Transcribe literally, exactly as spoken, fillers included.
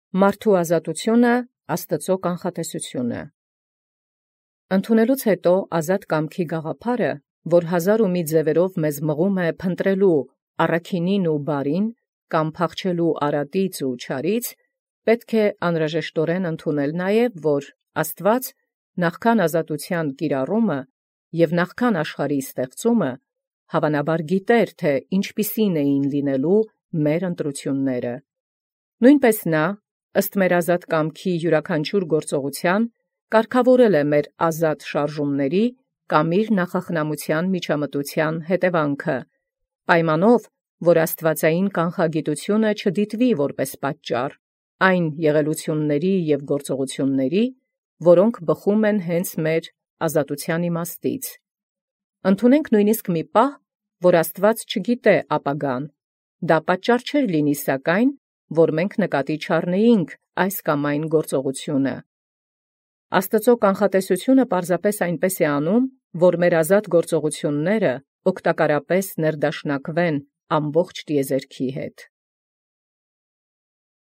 Մարդու ազատությունը Աստծո կանխատեսությունը։ Ընդունելուց հետո ազատ կամքի գաղափարը, որ հազար ու մի ձևերով մեզ մղում է փնտրելու առաքինին ու բարին, կամ փախչելու արատից ու չարից, պետք է անհրաժեշտորեն ընդունել նաև, որ Աստված նախքան ազատության կիրառումը և նախքան աշխարհի ստեղծումը, հավանաբար գիտեր, թե ինչպիսին էին լինելու մեր ընտրությունները։ Նույնպես նա, ըստ մեր ազատ կամքի յուրաքանչյուր գործողության, կարգավորել է մեր ազատ շարժումների կամ իր նախախնամության միջամտության հետևանքը, պայմանով, որ աստվածային կանխագիտությունը չդիտվի որպես պատճառ այն եղելությունների և գործողությունների, որոնք բխում են հենց մեր ազատության իմաստից։ Ընդունենք նույնիսկ մի պահ, որ Աստված չգիտե ապագան, դա պատճառ չէր լինի սակայն, որ մենք նկատի չառնեինք այս կամ այն գործողությունը։ Աստծո կանխատեսությունը պարզապես այնպես է անում, որ մեր ազատ գործողությունները օգտակարապես ներդաշնակվեն ամբողջ տիեզերքի հետ։